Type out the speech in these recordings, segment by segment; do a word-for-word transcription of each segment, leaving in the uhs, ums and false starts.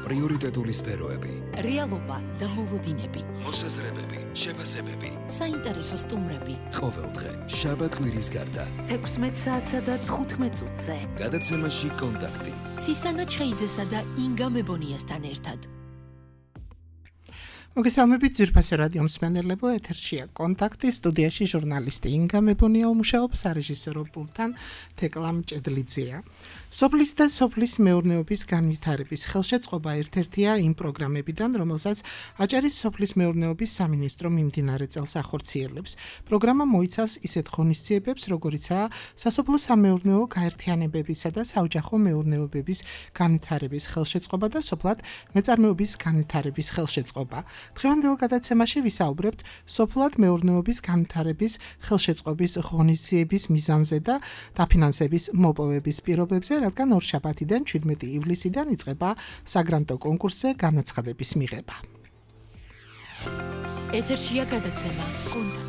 პრიორიტეტული სფეროები, რეალობა და მოლოდინები, მოსაზრებები, შეფასებები, საინტერესო სტუმრები. ყოველდღე შაბათ კვირის გარდა თექვსმეტ საათსა და თხუთმეტ წუთზე. გადაცემაში კონტაქტი. ცისანა ჩხეიძესა და ინგა მებონიასთან ერთად. მოგესალმებით ძვირფასი რადიო მსმენელებო, ეთერშია კონტაქტი, სტუდიაში ჟურნალისტი ინგა მებონია უმუშაობს, სარეჟისორო პულტთან თეკლა მჭედლიძეა. სოფლის და სოფლის მეურნეობის განვითარების ხელშეწყობა ერთ-ერთია იმ პროგრამებიდან, რომელსაც აჭარის სოფლის მეურნეობის სამინისტრო მიმდინარე წელს ახორციელებს. პროგრამა მოიცავს ისეთ ღონისძიებებს, როგორიცაა სასოფლო-სამეურნეო გაერთიანებებისა და საოჯახო მეურნეობების განვითარების ხელშეწყობა და სოფლად მეწარმეობის განვითარების ხელშეწყობა. დღევანდელ გადაცემაში ვისაუბრებთ სოფლად მეურნეობის განვითარების ხელშეწყობის ღონისძიების მიზანზე და დაფინანსების მოპოვების პირობებზე, რადგან ორშაბათიდან შვიდმეტი ივლისიდან იწყება საგრანტო კონკურსზე განაცხადების მიღება. ეთერშია გადაცემა კონტაქტი.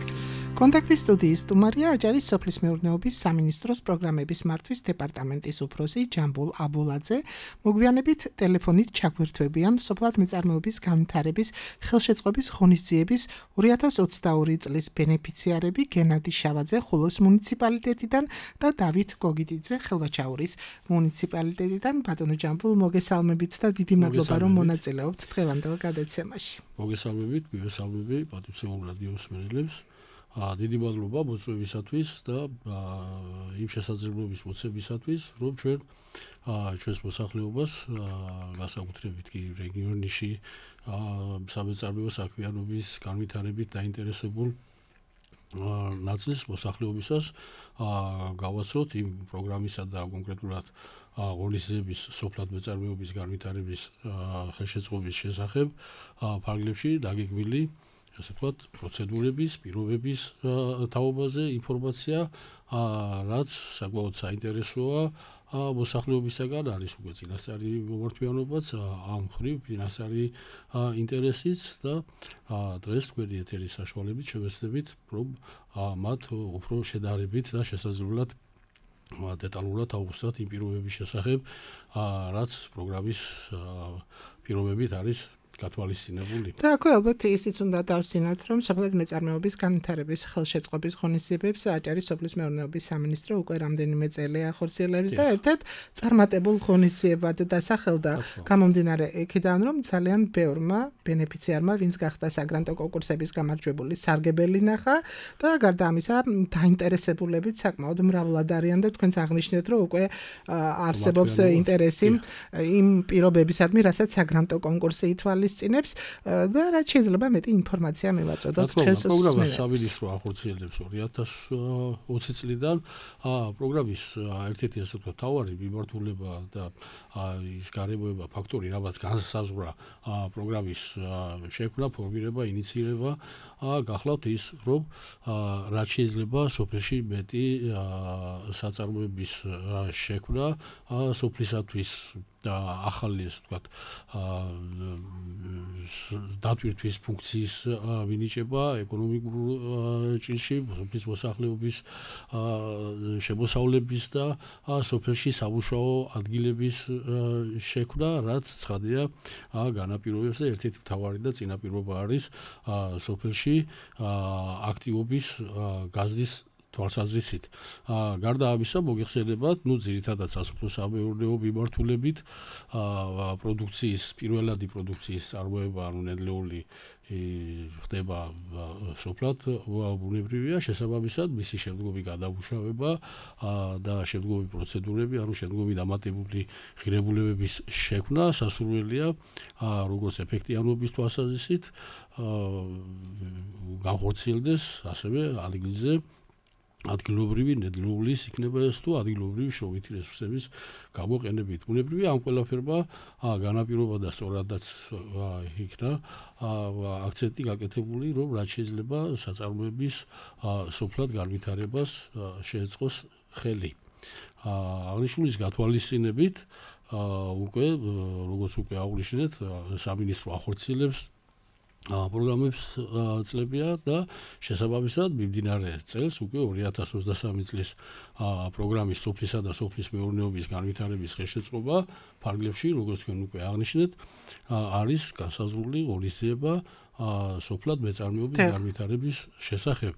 კონტაქტის სტუდიის სტუმარია აჭარის სოფლის მეურნეობის სამინისტროს პროგრამების მართვის დეპარტამენტის უფროსი ჯამბულ აბულაძე. მოგვიანებით ტელეფონით ჩაგვირთვებიან სოფლად მეწარმეობის განვითარების ხელშეწყობის ღონისძიების ორი ათას ოცდაორი წლის ბენეფიციარები გენადი შავაძე ხულოს მუნიციპალიტეტიდან და დავით გოგიტიძე ხელვაჩაურის მუნიციპალიტეტიდან. ბატონო ჯამბულ, მოგესალმებით და დიდი მადლობა რომ მონაწილეობთ დღევანდელ გადაცემაში. მოგესალმებით, მივესალმები პატრიციულ რადიო მსმენელებს. დიდი მადლობა მოწვევისათვის და იმ შესაძლებლობის მოცემისათვის, რომ ჩვენ ჩვენს მოსახლეობას განსაკუთრებით კი რეგიონში სამეწარმეო საქმიანობის განვითარებით დაინტერესებულ ნაწილს მოსახლეობისას გავაცროთ იმ პროგრამისა და კონკრეტულად ღონისძიების სოფლად მეწარმეობის განვითარების ხელშეწყობის შესახებ ფარგლებში დაგეგმილი ასე ვთქვათ, პროცედურების, პირობების თაობაზე ინფორმაცია, რაც საკმაოდ საინტერესოა მოსახლეობისაგან, არის უკვე წინასწარი მომართვიანობაც, ამ მხრივ ფინანსური ინტერესიც და დღეს თქვენი ეთერის საშუალებით შევეცდებით, რომ მათ უფრო შედარებით და შესაძლებლად დეტალურად ავხსნათ იმ პირობების შესახებ, რაც პროგრამის პირობებით არის გათვალისწინებული. და აქვე ალბათ ისიც უნდა დავსინათ, რომ სოფლად მეწარმეობის განვითარების ხელშეწყობის ღონისძიებებს აჭარის სოფლის მეურნეობის სამინისტრო უკვე რამდენიმე წელი ახორციელებს და ერთ-ერთ წარმატებულ ღონისძიებად დასახელდა, გამომდინარე იქიდან, რომ ძალიან ბევრმა ბენეფიციარმა, ვინც გახდა საგრანტო კონკურსების გამარჯვებული, სარგებელი ნახა და გარდა ამისა, დაინტერესებულებიც საკმაოდ მრავლად არიან და თქვენც აღნიშნეთ, რომ უკვე არსებობს ინტერესი იმ პირობებისადმი, რასაც საგრანტო კონკურსი ითვალისწინებს. წინებს და რაც შეიძლება მეტი ინფორმაცია მივაწოდოთ ჩვენს პროგრამას სამინისტრო ახორციელებს ორი ათას ოცი წლიდან. პროგრამის ერთ-ერთი ასე ვთქვათ მთავარი მიმართულება და ის გარემოება ფაქტორი, რამაც განსაზღვრა პროგრამის შექმნა, ფორმირება, ინიცირება, გახლავთ ის, რომ რაც შეიძლება სოფელში მეტი საწარმოების შექმნა სოფლისათვის და ახალი ასე ვთქვათ დატვირთვის ფუნქციის მინიჭება ეკონომიკურ ჭრილში, სოფლის მოსახლეობის შემოსავლების და სოფელში სამუშაო ადგილების შექმნა, რაც ცხადია განაპირობებს და ერთ-ერთი მთავარი და წინაპირობა არის სოფელში აქტივობის გაზრდის თვალსაზრისით. გარდა ამისა, მოგეხსენებათ, ნუ ძირითადად სასოფლო-სამეურნეო მიმართულებით პროდუქციის, პირველადი პროდუქციის წარმოება, ანუ ნედლეული ხდება სოფლად, ბუნებრივია, შესაბამისად, მისი შემდგომი გადამუშავება და შემდგომი პროცედურები, ანუ შემდგომი დამატებული ღირებულებების შექმნა სასურველია, როგორც ეფექტიანობის თვალსაზრისით, განხორციელდეს ასევე ადგილზე ადგილობრივი ნედლეულის იქნება ეს თუ ადგილობრივი შრომითი რესურსების გამოყენებით. ბუნებრივია ამ ყველაფერმა განაპირობა და სწორადაც იქნა აქცენტი გაკეთებული, რომ რაც შეიძლება საწარმოების სოფლად განვითარებას შეეწყოს ხელი. აღნიშნულის გათვალისწინებით უკვე როგორც უკვე აღვნიშნეთ, სამინისტრო ახორციელებს პროგრამებს წლებია და შესაბამისად მიმდინარე წელს უკვე ორი ათას ოცდასამი წლის პროგრამის სოფლისა და სოფლის მეურნეობის განვითარების ხელშეწყობა ფარგლებში, როგორც თქვენ უკვე აღნიშნეთ, არის განსაზღვრული ღონისძიება სოფლად მეწარმეობის განვითარების შესახებ.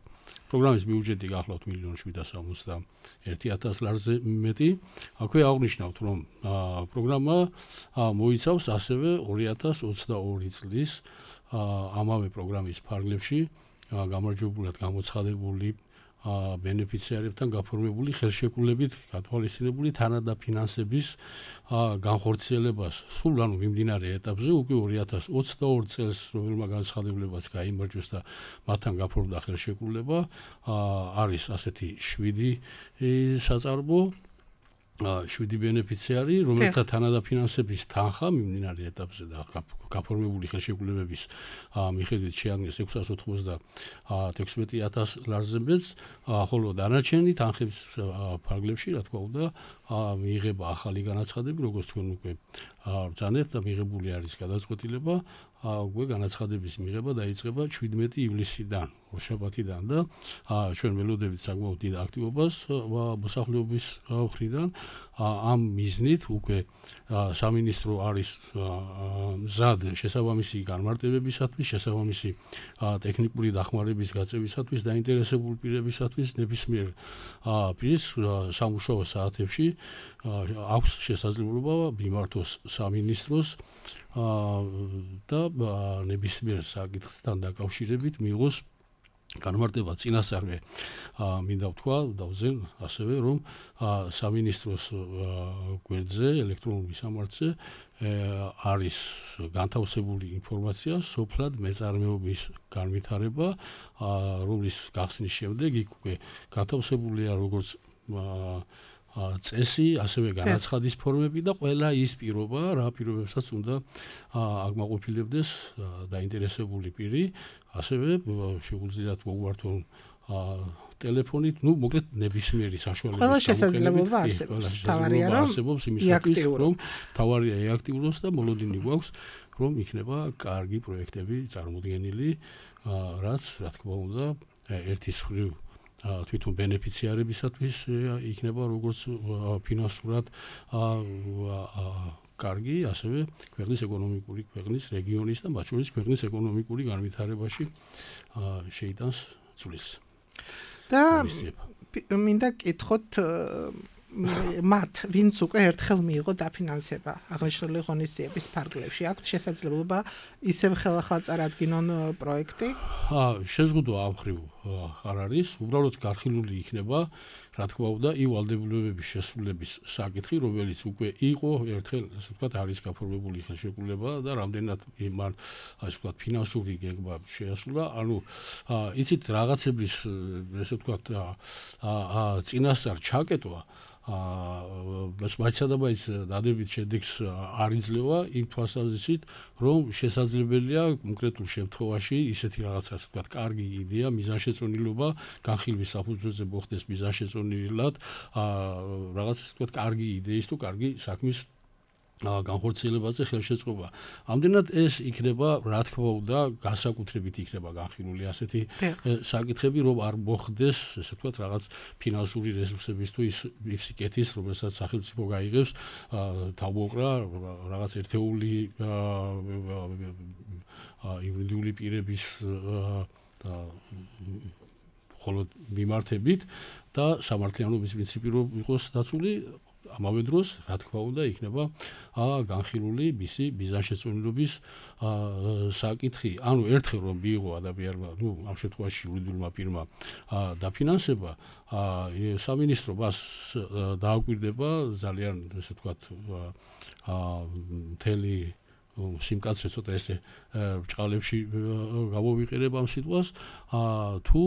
პროგრამის ბიუჯეტი გახლავთ მილიონ შვიდსა სამოცდაერთი ათას ლარზე მეტი. აქვე აღნიშნავთ, რომ პროგრამა მოიცავს ასევე ორი ათას ოცდაორი წლის ამავე პროგრამის ფარგლებში გამარჯვებულად გამოცხადებული ბენეფიციარებთან გაფორმებული ხელშეკრულებით გათვალისწინებული თანადაფინანსების განხორციელებას სულ ანუ მიმდინარე ეტაპზე უკვე ორი ათას ოცდაორი წელს რომელმა განცხადებლებაც გაიმარჯვეს და მათთან გაფორმდა ხელშეკრულება არის ასეთი შვიდი საწარმო შვიდი ბენეფიციარი, რომელთა თანადაფინანსების თანხა მიმდინარე ეტაპზე და გაფორმებული ხელშეკრულებების მიხედვით შეადგენს ექვსას ოთხმოცდათექვსმეტი ათას ლარზე მეტს, ხოლო დანარჩენი თანხების ფარგლებში, რა თქმა უნდა, მიიღება ახალი განაცხადები, როგორც თქვენ უკვე ბრძანებთ და მიღებული არის გადაწყვეტილება, უკვე განაცხადების მიღება დაიწყება შვიდმეტი ივლისიდან, ორშაბათიდან და ჩვენ ველოდებით საკმაოდ დიდ აქტივობას მოსახლეობის მხრიდან. ამ მიზნით უკვე სამინისტრო არის მზად შესაბამისი განმარტებებისათვის, შესაბამისი ტექნიკური დახმარების გაწევისათვის, დაინტერესებული პირებისათვის ნებისმიერ პირს სამუშაო საათებში აქვს შესაძლებლობა მიმართოს სამინისტროს და ნებისმიერ საკითხთან დაკავშირებით მიიღოს განმარტება წინასწარვე მინდა ვთქვა დავზენ ასევე რომ სამინისტროს გვერდზე ელექტრონული სამართზე არის განთავსებული ინფორმაცია სოფლად მეწარმეობის განვითარება რომლის გახსნის შემდეგ იქ უკვე განთავსებულია როგორც წესი, ასევე განაცხადის ფორმები და ყველა ის პირობა, რა პირობებსაც უნდა აღმაყოფილებდეს დაინტერესებული პირი, ასევე შეუძლიათ მოგვართონ ტელეფონით, ну, მოკლედ ნებისმიერი საშუალების ყველა შესაძლებლობა არსებობს. თავარია რომ არსებობს იმისათვის, რომ თავარია ეაქტიუროს და მოლოდინი გვაქვს, რომ იქნება კარგი პროექტები წარმოდგენილი, რაც, რა თქმა უნდა, ერთის მხრივ თვითონ ბენეფიციარებისათვის იქნება როგორც ფინანსურად კარგი, ასევე ქვეყნის ეკონომიკური, ქვეყნის რეგიონის და მათ შორის ქვეყნის ეკონომიკური განვითარებაში შეიტანს წვლილს. და მინდა კითხოთ მათ, ვინც უკვე ერთხელ მიიღო დაფინანსება აღნიშნული ღონისძიების ფარგლებში, აქვთ შესაძლებლობა ისევ ხელახლა წარადგინონ პროექტი? შეზღუდვა ამ მხრივ არ არის, უბრალოდ განხილული იქნება, რა თქმა უნდა, ივალდებულების შესრულების საკითხი, რომელიც უკვე იყო ერთხელ, ასე ვთქვათ, არის გაფორმებული ხელშეკრულება და რამდენად მან, ასე ვთქვათ, ფინანსური გეგმა შეასრულა, ანუ იცით რაღაცების, ასე ვთქვათ, წინასწარ ჩაკეტვა მაიცადაბაის დადებით შედეგს არ იძლევა იმ თვალსაზრისით, რომ შესაძლებელია კონკრეტულ შემთხვევაში ისეთი რაღაცა, ასე ვთქვათ, კარგი იდეა, მიზანშეწონილობა განხილვის საფუძველზე მოხდეს მიზანშეწონილად, რაღაც, ასე ვთქვათ, კარგი იდეის თუ კარგი საქმის განხორციელებაზე ხელშეწყობა. ამდენად ეს იქნება, რა თქმა უნდა, განსაკუთრებით იქნება განხილული ასეთი საკითხები, რომ არ მოხდეს, ესე ვთქვათ, რაღაც ფინანსური რესურსების თუ ის სიკეთის, რომელსაც სახელმწიფო გაიღებს, თავმოყრა რაღაც ერთეული იურიდიული პირების მხოლოდ მიმართებით და სამართლიანობის პრინციპი რომ იყოს დაცული ამავე დროს, რა თქმა უნდა, იქნება განხილული მისი მიზანშეწონილობის საკითხი. ანუ ერთხელ რომ მიიღო ადამიანმა, ну, ამ შემთხვევაში იურიდიულმა პირმა დაფინანსება, სამინისტრო მას დააკვირდება ძალიან, ესე ვთქვათ, მთელი სიმკაცრე ცოტა ესე ბრჭყალებში გამოვიყენებ ამ სიტყვას, თუ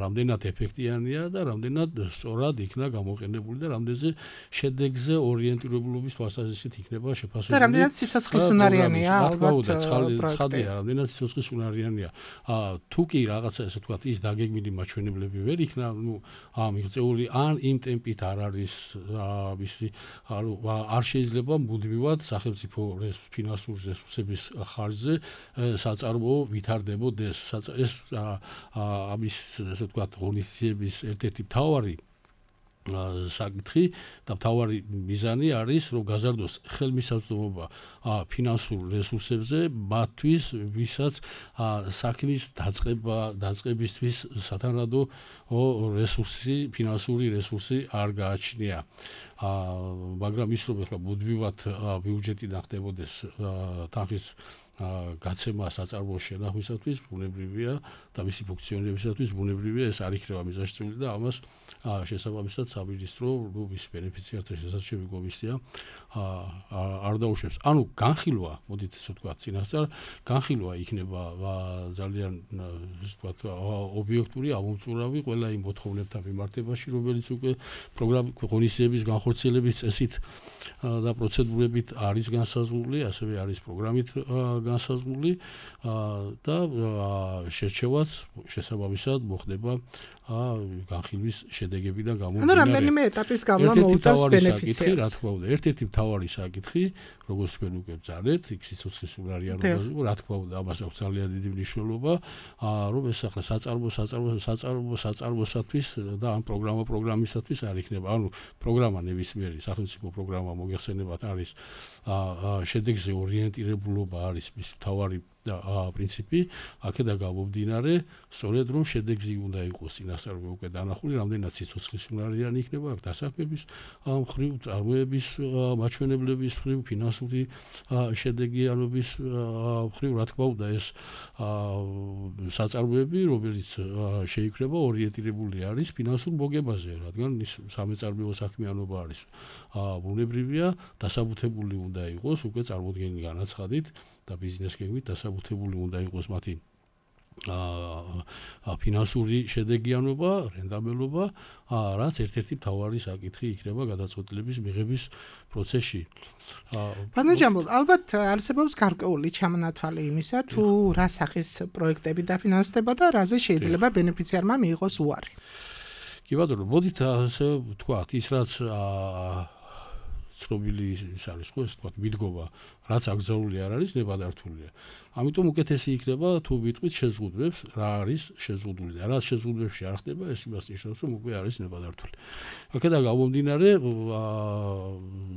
რამდენად ეფექტიანია და რამდენად სწორად იქნა გამოყენებული და რამდენზე შედეგზე ორიენტირებულობის თვალსაზრისით იქნება შეფასებული. და რამდენად სიცოცხლისუნარიანია ალბათ ცხადია, რამდენად სიცოცხლისუნარიანია. თუ კი რაღაცა ესე ვთქვათ ის დაგეგმილი მაჩვენებლები ვერ იქნა, ну, მიღწეული ან იმ ტემპით არ არის, მისი არ შეიძლება მუდმივად სახელმწიფო ფინანსურ რესურსების ხარჯზე საწარმოო ვითარდებოდეს. ეს ამის ესე ვთქვათ ღონისძიების ერთ-ერთი მთავარი საკითხი და მთავარი მიზანი არის რომ გაზარდოს ხელმისაწვდომობა ფინანსურ რესურსებზე მათთვის ვისაც საქმის დაწყება დაწყებისთვის სათანადო რესურსი ფინანსური რესურსი არ გააჩნია მაგრამ ის რომ ახლა მუდმივად ბიუჯეტიდან ხდებოდეს თანხის გაცემა საწარმოო შენახვისათვის ბუნებრივია და მისი ფუნქციონირებისათვის ბუნებრივია ეს არ იქნება მიზანშეწონილი და ამას შესაბამისად სამინისტრო რუბის ბენეფიციართა შესაძლებელი კომისია არ დაუშვებს. ანუ განხილვა, მოდით ესე ვთქვათ, წინასწარ განხილვა იქნება ძალიან ესე ვთქვათ ობიექტური, ამომწურავი ყველა იმ მოთხოვნებთან მიმართებაში, რომელიც უკვე პროგრამ ღონისძიების განხორციელების წესით და პროცედურებით არის განსაზღვრული, ასევე არის პროგრამით განსაზღვრული და შერჩევაც შესაბამისად მოხდება განხილვის შედეგებიდან გამომდინარე. ანუ რამდენიმე ეტაპის გავლა მოუწევს ბენეფიციარს. რა თქმა უნდა, ერთ-ერთი მთავარი საკითხი, როგორც თქვენ უკვე ბძანეთ, იქ სიცოცხლის უნარიანობაზე, რა თქმა უნდა, ამას აქვს ძალიან დიდი მნიშვნელობა, რომ ეს ახლა საწარმო, საწარმო, საწარმო, საწარმოსათვის და ამ პროგრამა პროგრამისათვის არ იქნება. ანუ პროგრამა ნებისმიერი სახელმწიფო პროგრამა მოგეხსენებათ არის შედეგზე ორიენტირებულობა არის მის მთავარი პრინციპი, აქედან გამომდინარე, სწორედ რომ შედეგზე უნდა იყოს წინასწარ უკვე დანახული, რამდენად სიცოცხლის უნარიანი იქნება აქ დასაქმების მხრივ, წარმოების მაჩვენებლების მხრივ, ფინანსური შედეგიანობის მხრივ, რა თქმა უნდა, ეს საწარმოები, რომელიც შეიკრება ორიენტირებული არის ფინანსურ მოგებაზე, რადგან ის სამეწარმოო საქმიანობა არის ბუნებრივია, დასაბუთებული უნდა იყოს უკვე წარმოდგენილი განაცხადით და ბიზნეს გეგმით დასაბუთებული უნდა იყოს მათი ფინანსური შედეგიანობა, რენტაბელობა, რაც ერთ-ერთი მთავარი საკითხი იქნება გადაწყვეტილების მიღების პროცესში. ბატონო ჯამბულ, ალბათ არსებობს გარკვეული ჩამონათვალი იმისა, თუ რა სახის პროექტები დაფინანსდება და რაზე შეიძლება ბენეფიციარმა მიიღოს უარი. კი ბატონო, მოდით ასე ვთქვათ, ის რაც ცნობილი ის არის ხო, ეს თქვათ მიდგომა, რაც აკრძალული არ არის, ნებადართულია. ამიტომ უკეთესი იქნება თუ ვიტყვით შეზღუდვებს, რა არის შეზღუდული და რაც შეზღუდვებში არ ხდება, ეს იმას ნიშნავს, რომ უკვე არის ნებადართული. აქედან გამომდინარე,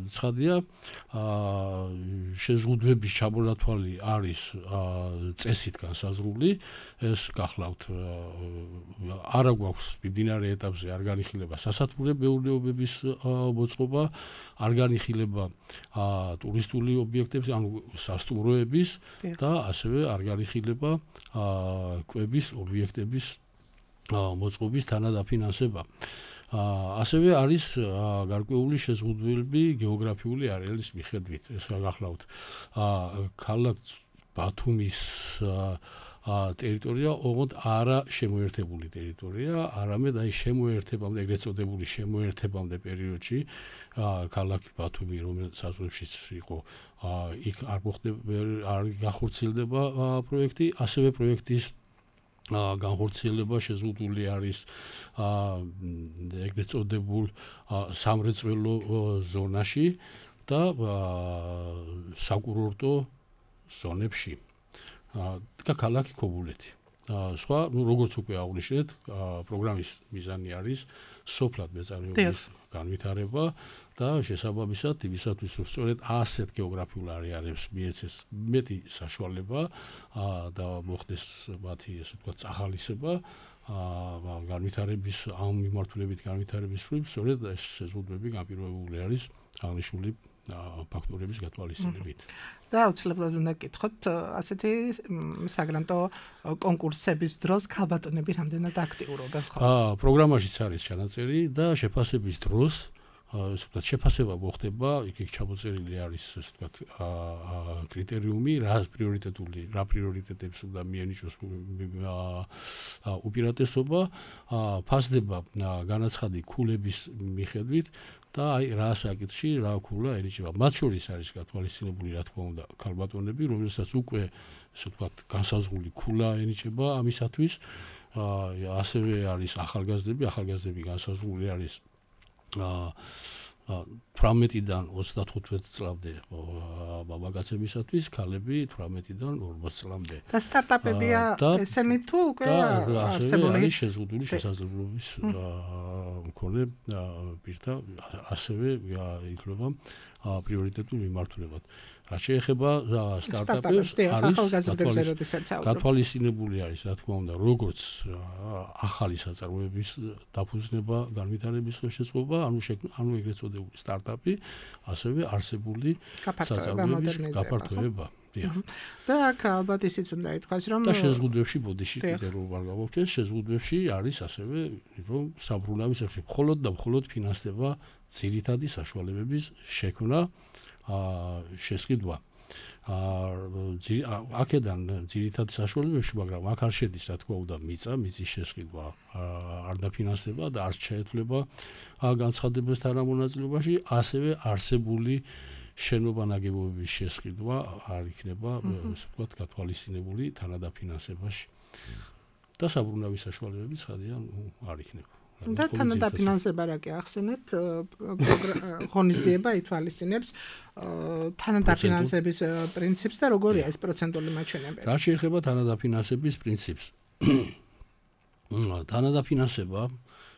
ცხადია, შეზღუდვების ჩამონათვალი არის წესით განსაზღვრული, ეს გახლავთ არა გვაქვს მიმდინარე ეტაპზე არ განიხილება სასათბურე მეურნეობების მოწყობა, არ განიხილება ტურისტული ობიექტების, ანუ სასტუმროების და ასევე არ განიხილება კვების ობიექტების მოწყობის თანადაფინანსება. ასევე არის გარკვეული შეზღუდვები გეოგრაფიული არეალის მიხედვით. ეს გახლავთ ქალაქ ბათუმის ტერიტორია ოღონდ არა შემოერთებული ტერიტორია, არამედ აი შემოერთებამდე, ეგრეთ წოდებული შემოერთებამდე პერიოდში ქალაქი ბათუმი, რომელიც საზღვრებშიც იყო, იქ არ მოხდება, არ განხორციელდება პროექტი, ასევე პროექტის განხორციელება შეზღუდული არის ეგრეთ წოდებულ სამრეწველო ზონაში და საკურორტო ზონებში. და ქალაქი ქობულეთი. სხვა, ну, როგორც უკვე აღნიშნეთ, პროგრამის მიზანი არის სოფლად მეწარმეობის განვითარება და შესაბამისად იმისათვის, რომ სწორედ ასეთ გეოგრაფიულ არეალებს მიეცეს მეტი საშუალება და მოხდეს მათი, ესე ვთქვათ, წახალისება განვითარების ამ მიმართულებით განვითარების მხრივ, სწორედ ეს შეზღუდვები განპირობებული არის აღნიშნული ფაქტორების გათვალისწინებით. და აუცილებლად უნდა გკითხოთ, ასეთი საგრანტო კონკურსების დროს ქალბატონები რამდენად აქტიურობენ ხო? აა, პროგრამაშიც არის ჩანაწერი და შეფასების დროს, ასე ვთქვათ, შეფასება მოხდება, იქ ჩამოწერილი არის, ასე ვთქვათ, კრიტერიუმი, რა პრიორიტეტული, რა პრიორიტეტებს უნდა მიენიჭოს უპირატესობა, ფასდება განაცხადი ქულების მიხედვით და აი რა საკითხში რა ქულა ენიჭება. მათ შორის არის გათვალისწინებული, რა თქმა უნდა, ქალბატონები, რომელსაც უკვე, ასე ვთქვათ, განსაზღვრული ქულა ენიჭება ამისათვის. ასევე არის ახალგაზრდები, ახალგაზრდები განსაზღვრული არის თვრამეტიდან ოცდათხუთმეტ წლამდე მამაკაცებისათვის, ქალები თვრამეტიდან ორმოც წლამდე. და სტარტაპებია ესენი თუ უკვე არსებული არის შეზღუდული შესაძლებლობის მქონე პირთა ასევე ითვლება პრიორიტეტულ მიმართულებად. რაც შეეხება სტარტაპებს, არის გათვალისწინებული არის, რა თქმა უნდა, როგორც ახალი საწარმოების დაფუძნება, განვითარების შესაძლებლობა, ანუ ანუ ეგრეთ წოდებული სტარტაპი, ასევე არსებული საწარმოების გაფართოება. და აქ ალბათ ისიც უნდა ითქვას, რომ და შეზღუდვებში ბოდიში კიდე რომ არ გავაუჩეს, შეზღუდვებში არის ასევე რომ საბრუნავი სექტორი მხოლოდ და მხოლოდ ფინანსდება ძირითადი საშუალებების შექმნა შესყიდვა. აქედან ძირითადი საშუალებებში, მაგრამ აქ არ შედის, რა თქმა უნდა, მიწა, მიწის შესყიდვა არ დაფინანსდება და არ შეეთვლება განცხადებას თანამონაწილეობაში, ასევე არსებული შენობა ნაგებობების შესყიდვა არ იქნება, ასე ვთქვათ, გათვალისწინებული თანადაფინანსებაში. და საბრუნავი საშუალებებიც ხადიან არ იქნება. და თანადაფინანსება რა კი ახსენეთ, ღონისძიება ითვალისწინებს თანადაფინანსების პრინციპს და როგორია ეს პროცენტული მაჩვენებელი? რა შეეხება თანადაფინანსების პრინციპს? თანადაფინანსება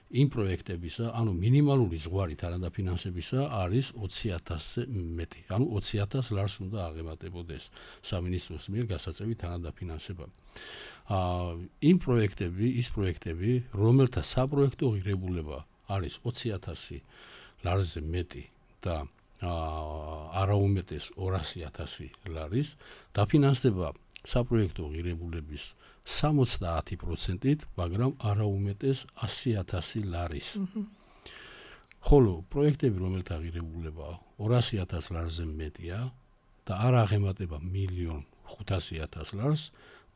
იმ პროექტებისა, ანუ მინიმალური ზღვარი თანადაფინანსებისა არის ოცი ათასზე მეტი. ანუ ოცი ათას ლარს უნდა აღემატებოდეს სამინისტროს მიერ გასაწევი თანადაფინანსება. აა იმ პროექტები, ის პროექტები, რომელთა საპროექტო ღირებულება არის ოცი ათასი ლარზე მეტი და აა არაუმეტეს ორასი ათასი ლარის, დაფინანსდება საპროექტო ღირებულების სამოცდაათი პროცენტით, მაგრამ არაუმეტეს ასი ათასი ლარის. ხოლო პროექტები, რომელთა ღირებულება ორასი ათას ლარზე მეტია და არ აღემატება მილიონ ხუთასი ათას ლარს,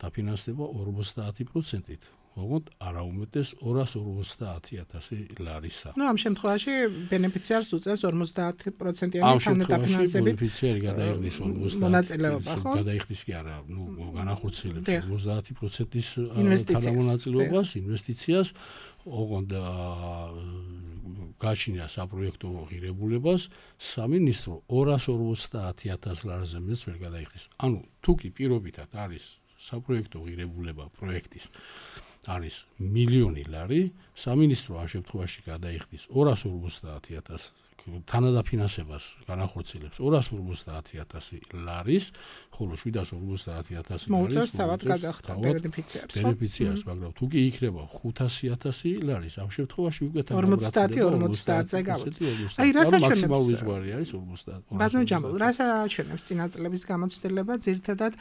დაფინანსდება ორმოცდაათი პროცენტით. ოღონდ არაუმეტეს ორასი ორმოცდაათი ათასი ლარისა. ნუ ამ შემთხვევაში ბენეფიციარს უწევს ორმოცდაათი პროცენტიანი თანადაფინანსებით. ბენეფიციარი გადაიხდის მონაწილეობა, ხო? გადაიხდის კი არა, ნუ განახორციელებს ორმოცდაათი პროცენტის თანამონაწილეობას, ინვესტიციას, ოღონდ გააჩნია საპროექტო ღირებულებას, სამინისტრო ორასი ორმოცდაათი ათას ლარზე მეტს ვერ გადაიხდის. ანუ თუ კი პირობითად არის საპროექტო ღირებულება პროექტის არის მილიონი ლარი, სამინისტრო ამ შემთხვევაში გადაიხდის ორასი ორმოცდაათი ათას თანადაფინანსებას განახორციელებს ორასი ორმოცდაათი ათასი ლარის, ხოლო შვიდასი ორმოცდაათი ათასი ლარის მოუწევს თავად გადახდა ბენეფიციარს. ბენეფიციარს, მაგრამ თუ კი იქნება ხუთასი ათასი ლარის, ამ შემთხვევაში უკვე ორმოცდაათი ორმოცდაათზე გავიწევს. აი, რას აჩვენებს? მაქსიმალური ზღვარი არის ორმოცდაათი. ბაზმ ჯამბულ, რას აჩვენებს წინაწლების გამოცდილება, ძირითადად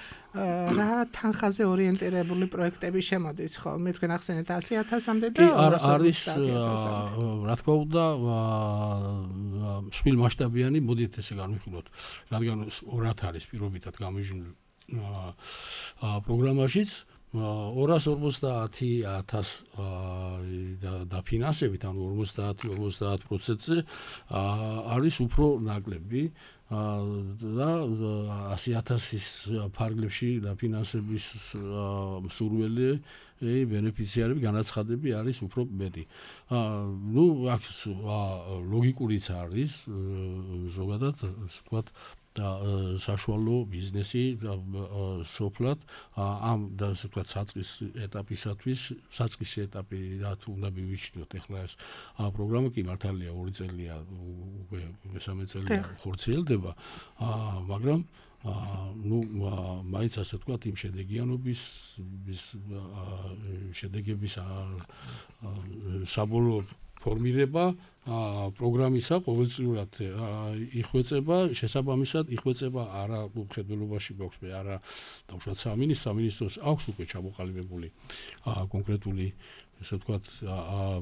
რა თანხაზე ორიენტირებული პროექტები შემოდის, ხო? მე თქვენ ახსენეთ ასი ათასამდე და ორასი ორმოცდაათი ათასამდე. რა თქმა უნდა, მსხვილ მასშტაბიანი, მოდით ესე განვიხილოთ, რადგან ორად არის პირობითად გამიჟნული პროგრამაშიც ორასი ორმოცდაათი ათას დაფინანსებით, ანუ ორმოცდაათი ორმოცდაათი პროცენტზე არის უფრო ნაკლები და ასი ათასის ფარგლებში დაფინანსების მსურველი ბენეფიციარები, განაცხადები არის უფრო მეტი. ნუ აქ ლოგიკურიც არის ზოგადად, ვთქვათ, და საშუალო ბიზნესი სოფლად ამ და ასე ვთქვათ საწყის ეტაპისათვის, საწყის ეტაპი რა თუ უნდა მივიჩნიოთ ახლა ეს პროგრამა კი მართალია ორი წელია, უკვე მესამე წელია ხორციელდება, მაგრამ ну, მაინც ასე ვთქვათ, იმ შედეგიანობის შედეგების საბოლოო ფორმირება პროგრამისა ყოველწლიურად იხვეწება, შესაბამისად იხვეწება არა უხედველობაში გვაქვს მე არა დავუშვათ სამინისტრო, სამინისტროს აქვს უკვე ჩამოყალიბებული კონკრეტული ესე ვთქვათ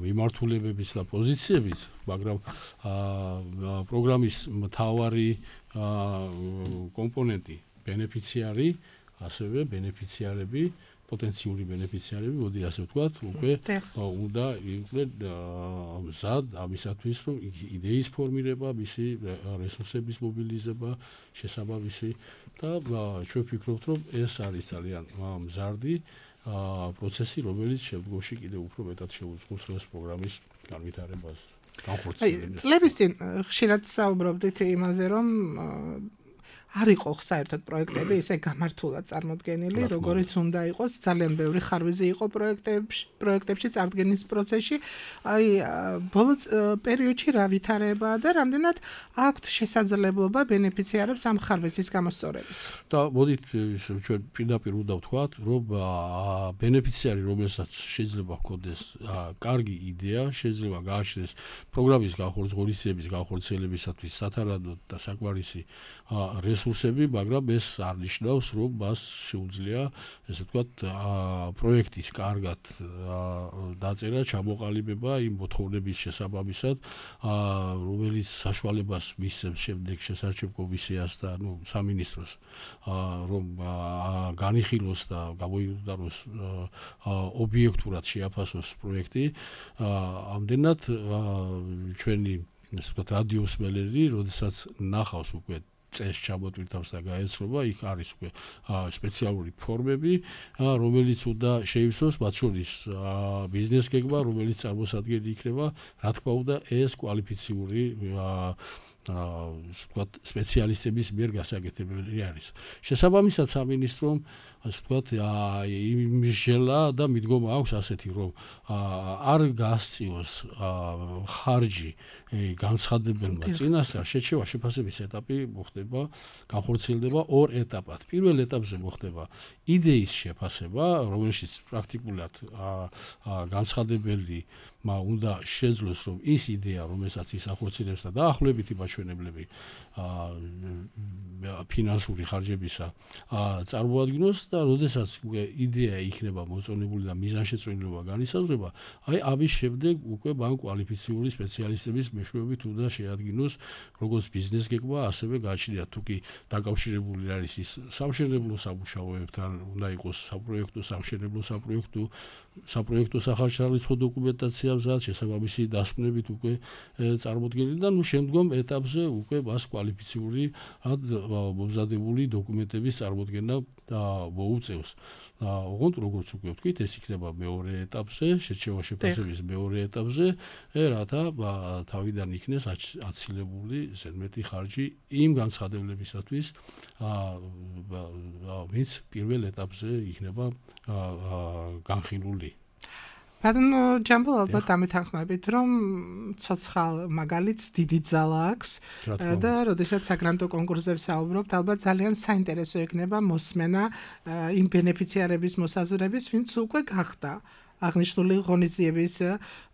მიმართულებებიც და პოზიციებიც, მაგრამ პროგრამის მთავარი კომპონენტი ბენეფიციარი, ასევე ბენეფიციარები, პოტენციური ბენეფიციარები, მოდი ასე ვთქვათ, უკვე უნდა იყვნენ მზად ამისათვის, რომ იდეის ფორმირება, მისი რესურსების მობილიზება, შესაბამისი და ჩვენ ვფიქრობთ, რომ ეს არის ძალიან მზარდი პროცესი, რომელიც შემდგომში კიდევ უფრო მეტად შეუწყობს ეს პროგრამის განვითარებას. განხორციელების. წლების წინ ხშირად საუბრობდით იმაზე, რომ არ იყო საერთოდ პროექტები ისე გამართულად წარმოდგენილი, როგორიც უნდა იყოს, ძალიან ბევრი ხარვეზი იყო პროექტებში, პროექტებში წარდგენის პროცესში. აი, ბოლო პერიოდში რა ვითარებაა და რამდენად აქვთ შესაძლებლობა ბენეფიციარებს ამ ხარვეზის გამოსწორების. და მოდით ჩვენ პირდაპირ უნდა ვთქვათ, რომ ბენეფიციარი, რომელსაც შეიძლება ჰქონდეს კარგი იდეა, შეიძლება გააჩნდეს პროგრამის განხორციელების განხორციელებისათვის სათანადო და საკმარისი რესურსები, მაგრამ ეს არ ნიშნავს, რომ მას შეუძლია, ესე ვთქვათ, პროექტის კარგად დაწერა, ჩამოყალიბება იმ მოთხოვნების შესაბამისად, რომელიც საშუალებას მისცემს შემდეგ შესარჩევ კომისიას და ნუ სამინისტროს, რომ განიხილოს და გამოიყენოს ობიექტურად შეაფასოს პროექტი. ამდენად ჩვენი, ესე ვთქვათ, რადიოს მელერი, როდესაც ნახავს უკვე წეს ჩამოტვირთავს და გაეცნობა, იქ არის უკვე სპეციალური ფორმები, რომელიც უნდა შეივსოს, მათ შორის ბიზნეს გეგმა, რომელიც წარმოსადგენელი იქნება, რა თქმა უნდა, ეს კვალიფიციური ვთქვათ, სპეციალისტების მიერ გასაკეთებელი არის. შესაბამისად, სამინისტრომ, ასე ვთქვათ, იმჟელა და მიდგომა აქვს ასეთი, რომ არ გასწიოს ხარჯი განცხადებელმა წინასწარ, შეჩევა შეფასების ეტაპი მოხდება, განხორციელდება ორ ეტაპად. პირველ ეტაპზე მოხდება იდეის შეფასება, რომელშიც პრაქტიკულად განცხადებელი უნდა შეძლოს, რომ ის იდეა, რომელსაც ის ახორციელებს და დაახლოებითი მაჩვენებლები ფინანსური ხარჯებისა წარმოადგინოს და როდესაც უკვე იდეა იქნება მოწონებული და მიზანშეწონილობა განისაზღვრება, აი ამის შემდეგ უკვე მან კვალიფიციური სპეციალისტების მეშვეობით უნდა შეადგინოს როგორც ბიზნეს გეგმა, ასევე გააჩნია თუ კი დაკავშირებული არის ის სამშენებლო სამუშაოებთან, უნდა იყოს საპროექტო, სამშენებლო საპროექტო, საპროექტო სახალხო დოკუმენტაცია მზად, შესაბამისი დასკვნებით უკვე წარმოდგენილი და ნუ შემდგომ ეტაპზე უკვე მას კვალიფიციური მომზადებული დოკუმენტების წარმოდგენა მოუწევს. ოღონდ როგორც უკვე ვთქვით, ეს იქნება მეორე ეტაპზე, შეჩევა შეფასების მეორე ეტაპზე, რათა თავიდან იქნეს აცილებული ზედმეტი ხარჯი იმ განცხადებლებისათვის, ვინც პირველ ეტაპზე იქნება განხილული. ბატონო ჯამბულ, ალბათ ამეთანხმებით, რომ ცოცხალ მაგალითს დიდი ძალა აქვს და როდესაც საგრანტო კონკურსზე ვსაუბრობთ, ალბათ ძალიან საინტერესო იქნება მოსმენა იმ ბენეფიციარების მოსაზრების, ვინც უკვე გახდა აღნიშნული ღონისძიების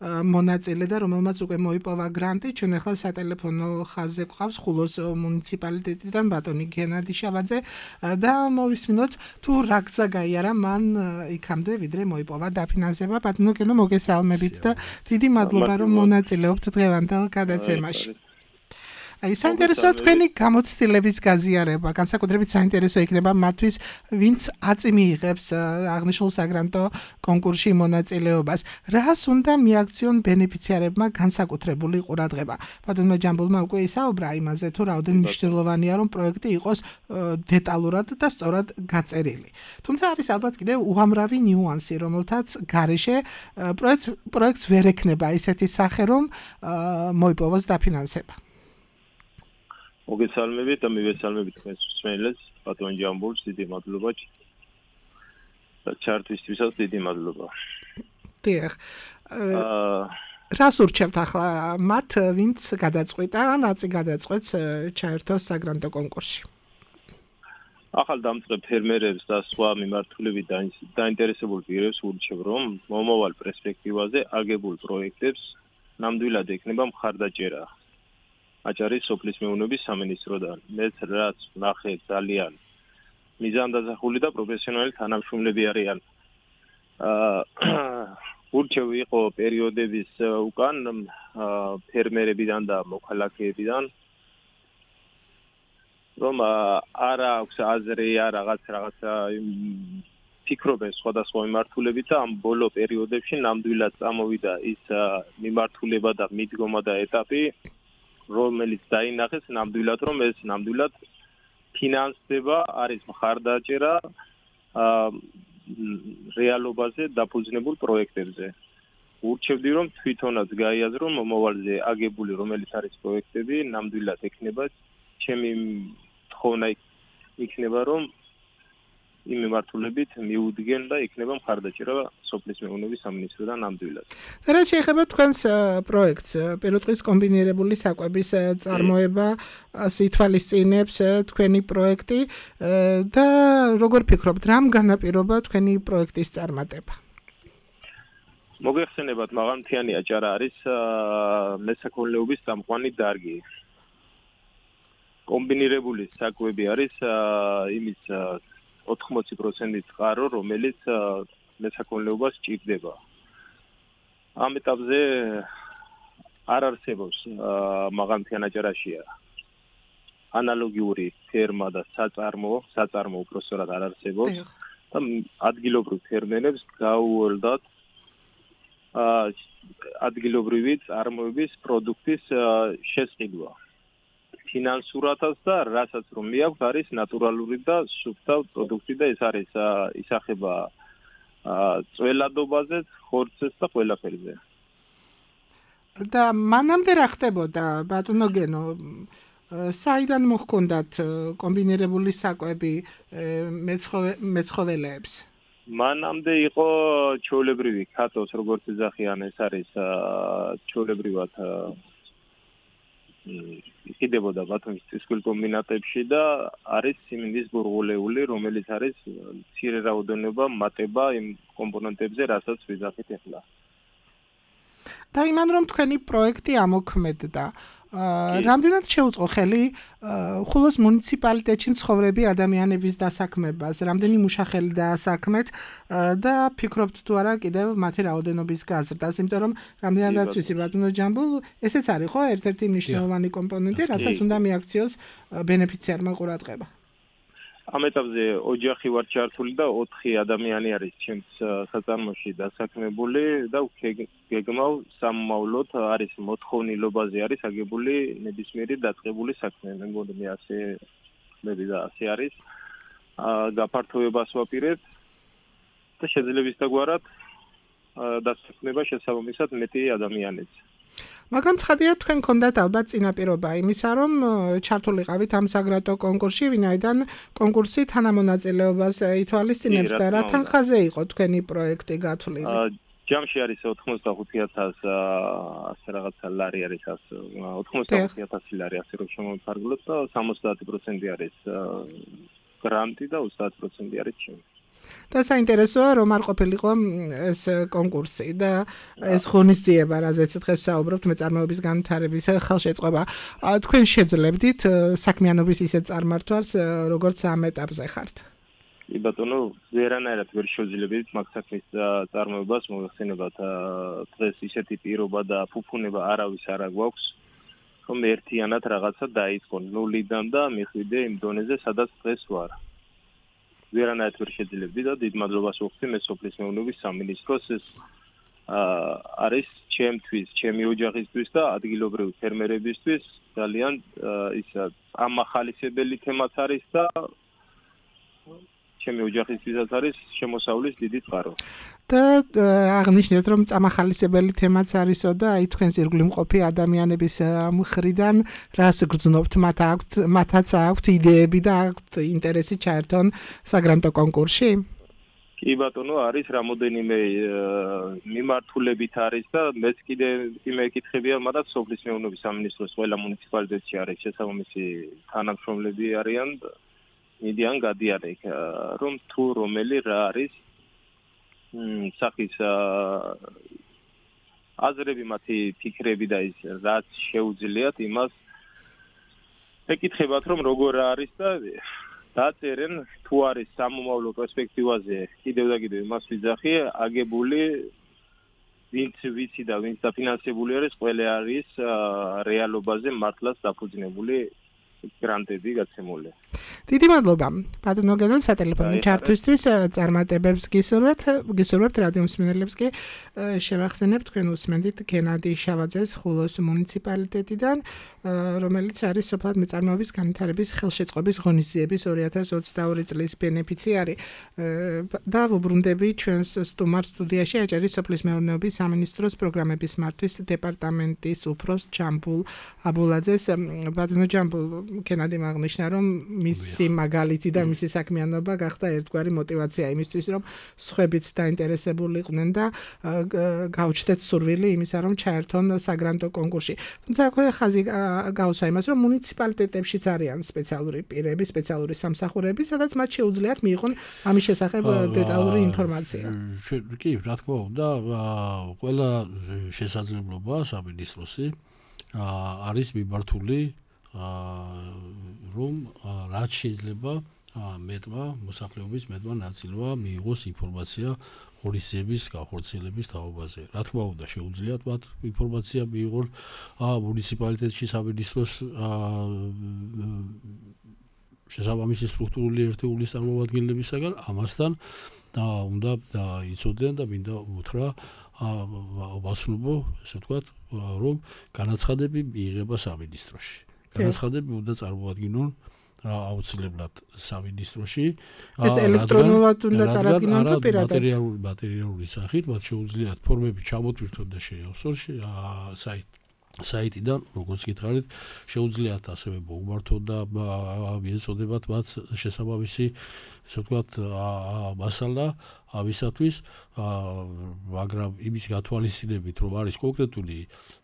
მონაწილე და რომელმაც უკვე მოიპოვა გრანტი. ჩვენ ახლა სატელეფონო ხაზზე გვყავს ხულოს მუნიციპალიტეტიდან ბატონი გენადი შავაძე და მოვისმინოთ თუ რა გზა გაიარა მან იქამდე, ვიდრე მოიპოვა დაფინანსება. ბატონო გენო, მოგესალმებით და დიდი მადლობა, რომ მონაწილეობთ დღევანდელ გადაცემაში. აი, საინტერესოა თქვენი გამოცდილების გაზიარება, განსაკუთრებით საინტერესო იქნება მათთვის, ვინც აწი მიიღებს აღნიშნულ საგრანტო კონკურსში მონაწილეობას. რას უნდა მიაქციონ ბენეფიციარებმა განსაკუთრებული ყურადღება? ბატონმა ჯამბულმა უკვე ისაუბრა იმაზე, თუ რაოდენ მნიშვნელოვანია, რომ პროექტი იყოს დეტალურად და სწორად გაწერილი. თუმცა არის ალბათ კიდევ უამრავი ნიუანსი, რომელთაც გარეშე პროექტს პროექტს ვერ ექნება ისეთი სახე, რომ მოიპოვოს დაფინანსება. მოგესალმებით და მივესალმებით თქვენს მსმენელებს, ბატონ ჯამბულს დიდი მადლობა. ჩართვისთვისაც დიდი მადლობა. დიახ. რას ურჩევთ ახლა მათ, ვინც გადაწყვიტა, ნაცი გადაწყვეტს ჩაერთოს საგრანტო კონკურსში? ახალ დამწყებ ფერმერებს და სხვა მიმართულებით დაინტერესებულ პირებს ურჩევ, რომ მომავალ პერსპექტივაზე აგებულ პროექტებს ნამდვილად ექნება მხარდაჭერა. აჭარის სოფლის მეურნეობის სამინისტროდან. მეც რაც ნახე ძალიან მიზანდაზახული და პროფესიონალი თანამშრომლები არიან. ურჩევ იყო პერიოდების უკან ფერმერებიდან და მოქალაქეებიდან, რომ არ აქვს აზრი, რაღაც რაღაცა ფიქრობენ სხვადასხვა მიმართულებით და ამ ბოლო პერიოდებში ნამდვილად წამოვიდა ის მიმართულება და მიდგომა და ეტაპი, რომელიც დაინახეს ნამდვილად, რომ ეს ნამდვილად ფინანსდება, არის მხარდაჭერა რეალობაზე დაფუძნებულ პროექტებზე. ურჩევდი რომ თვითონაც გაიაზრო მომავალზე აგებული რომელიც არის პროექტები ნამდვილად ექნება ჩემი თხოვნა იქნება რომ იმ მიმართულებით მიუდგენ და იქნება მხარდაჭერა სოფლის მეურნეობის სამინისტროდან ნამდვილად. რა შეიძლება თქვენს პროექტს პირუტყვის კომბინირებული საკვების წარმოება სითვალისწინებს თქვენი პროექტი და როგორ ფიქრობთ რამ განაპირობა თქვენი პროექტის წარმატება? მოგეხსენებათ მაღალმთიანი აჭარა არის მესაქონლეობის წამყვანი დარგი. კომბინირებული საკვები არის იმის ოთხმოცი პროცენტი წყარო, რომელიც მესაქონლეობას ჭირდება. ამ ეტაპზე არ არსებობს მაღალმთიან აჭარაში ანალოგიური ფერმა და საწარმო, საწარმო უпростоრად არ არსებობს და ადგილობრივ ფერმერებს გაუოლდათ ადგილობრივი წარმოების პროდუქტის შესყიდვა. ფინანსურადაც და რასაც რომ მიაქვს არის ნატურალური და სუფთა პროდუქტი და ეს არის ისახება წველადობაზე, ხორცზე და ყველაფერზე. და მანამდე რა ხდებოდა ბატონო გენო? საიდან მოჰქონდათ კომბინირებული საკვები მეცხოველეებს? მანამდე იყო ჩვეულებრივი ქათოს როგორც ეძახიან ეს არის ჩვეულებრივად იყიდებოდა ბათუმის წისქვილ კომბინატებში და არის სიმინდის ბურღულეული რომელიც არის მცირე რაოდენობა მატება იმ კომპონენტებზე რასაც ვიძახით ახლა. და იმან რომ თქვენი პროექტი ამოქმედდა რამდენად შეუწყო ხელი ხულოს მუნიციპალიტეტში მცხოვრები ადამიანების დასაქმებას, რამდენი მუშახელი დაასაქმეთ და ფიქრობთ თუ არა კიდევ მათი რაოდენობის გაზრდას, იმიტომ რომ რამდენადაც ვიცი ბატონო ჯამბულ, ესეც არის ხო ერთ-ერთი მნიშვნელოვანი კომპონენტი, რასაც უნდა მიაქციოს ბენეფიციარმა ყურადღება. ამ ეტაპზე ოჯახი ვარ ჩართული და ოთხი ადამიანი არის ჩემს საწარმოში დასაქმებული და გეგმავ სამმავლოდ არის მოთხოვნილობაზე არის აგებული ნებისმიერი დაწყებული საქმე. მე მგონი ასე ხმები და ასე არის. გაფართოებას ვაპირებ და შეძლებისდაგვარად დასაქმება შესაბამისად მეტი ადამიანიც. მაგრამ ცხადია თქვენ გქონდათ ალბათ წინაპირობა იმისა, რომ ჩართულიყავით ამ საგრატო კონკურსში, ვინაიდან კონკურსი თანამონაწილეობას ითვალისწინებს და რა თანხაზე იყო თქვენი პროექტი გათვლილი? ჯამში არის ოთხმოცდახუთი ათასი ასე რაღაცა ლარი არის ოთხმოცდახუთი ათასი ლარი ასე რომ შემოვიფარგლოთ და სამოცდაათი პროცენტი არის გრანტი და ოცდაათი პროცენტი არის ჩემი. და საინტერესოა რომ არ ყოფილიყო ეს კონკურსი და ეს ღონისძიება, რაზეც დღეს საუბრობთ მეწარმეობის განვითარების ხელშეწყობა. თქვენ შეძლებდით საქმიანობის ისეთ წარმართვას, როგორც ამ ეტაპზე ხართ? კი ბატონო, ვერანაირად ვერ შევძლებდით მაგ საქმის წარმოებას, მოიხსენებათ დღეს ისეთი პირობა და ფუფუნება არავის არ აქვს, რომ ერთიანად რაღაცა დაიწყო ნულიდან და მიხვიდე იმ დონეზე, სადაც დღეს ვარ. ვერანაირად ვერ შეძლებდი და დიდ მადლობას ვუხდი მე სოფლის მეურნეობის სამინისტროს ეს არის ჩემთვის, ჩემი ოჯახისთვის და ადგილობრივი ფერმერებისთვის ძალიან ის ამახალისებელი თემაც არის და ჩემი ოჯახისთვისაც არის შემოსავლის დიდი წყარო. და აღნიშნეთ რომ წამახალისებელი თემაც არისო და აი თქვენს ირგვლივ მყოფი ადამიანების მხრიდან რას გრძნობთ, მათ აქვთ მათაც აქვთ იდეები და აქვთ ინტერესი ჩაერთონ საგრანტო კონკურსში? კი ბატონო, არის რამოდენიმე მიმართულებით არის და მეც კიდე იმეკითხებია, მაგრამ სოფლის მეურნეობის სამინისტროს ყველა მუნიციპალიტეტში არის შესაბამისი თანამშრომლები არიან მიდიან გადიან იქ რომ თუ რომელი რა არის სახის აზრები მათი ფიქრები და ის რაც შეუძლიათ იმას ეკითხებათ რომ როგორ არის და დაწერენ თუ არის სამომავლო პერსპექტივაზე კიდევ და კიდევ იმას ვიძახი აგებული ვინც ვიცი და ვინც დაფინანსებული არის ყველა არის რეალობაზე მართლაც დაფუძნებული გრანტები გაცემული. დიდი მადლობა. ბატონო გედონ სატელეფონო ჩართვისთვის წარმატებებს გისურვებთ, გისურვებთ რადიო მსმენელებს კი შევახსენებთ თქვენ უსმენთ გენადი შავაძეს ხულოს მუნიციპალიტეტიდან, რომელიც არის სოფლად მეწარმეობის განვითარების ხელშეწყობის ღონისძიების ორი ათას ოცდაორი წლის ბენეფიციარი. და ვუბრუნდები ჩვენს სტუმარ სტუდიაში აჭარის სოფლის მეურნეობის სამინისტროს პროგრამების მართვის დეპარტამენტის უფროს ჯამბულ აბულაძეს. ბატონო ჯამბულ, გენადი აღნიშნა, რომ მისი მაგალითი და მისი საქმიანობა გახდა ერთგვარი мотиваცია იმისთვის, რომ სხვებიც დაინტერესებული იყვნენ და გაუჩნდეთ სურვილი იმისა, რომ ჩაერთონ საგრანტო კონკურსში. თუმცა აქვე ხაზი გაუსვა იმას, რომ მუნიციპალიტეტებშიც არიან სპეციალური პირები, სპეციალური სამსახურები, სადაც მათ შეუძლიათ მიიღონ ამის შესახებ დეტალური ინფორმაცია. კი, რა თქმა უნდა, ყველა შესაძლებლობა სამინისტროსი არის მიმართული რომ რაც შეიძლება მეტმა მოსახლეობის მეტმა ნაწილმა მიიღოს ინფორმაცია ღონისძიების განხორციელების თაობაზე. რა თქმა უნდა, შეუძლიათ მათ ინფორმაცია მიიღონ მუნიციპალიტეტში სამინისტროს შესაბამისი სტრუქტურული ერთეულის წარმომადგენლებისაგან, ამასთან უნდა იცოდნენ და მინდა უთხრა ვაცნობო, ესე ვთქვათ, რომ განაცხადები მიიღება სამინისტროში. განაცხადები უნდა წარმოადგინონ აუცილებლად სამინისტროში. ეს ელექტრონულად უნდა წარადგინონ თუ პირადად? მატერიალური მატერიალური სახით, მათ შეუძლიათ ფორმები ჩამოტვირთონ და შეავსონ საიტ საიტიდან, როგორც გითხარით, შეუძლიათ ასევე მოუმართონ და მიეწოდებათ მათ შესაბამისი, ასე ვთქვათ, მასალა ამისათვის, მაგრამ იმის გათვალისწინებით, რომ არის კონკრეტული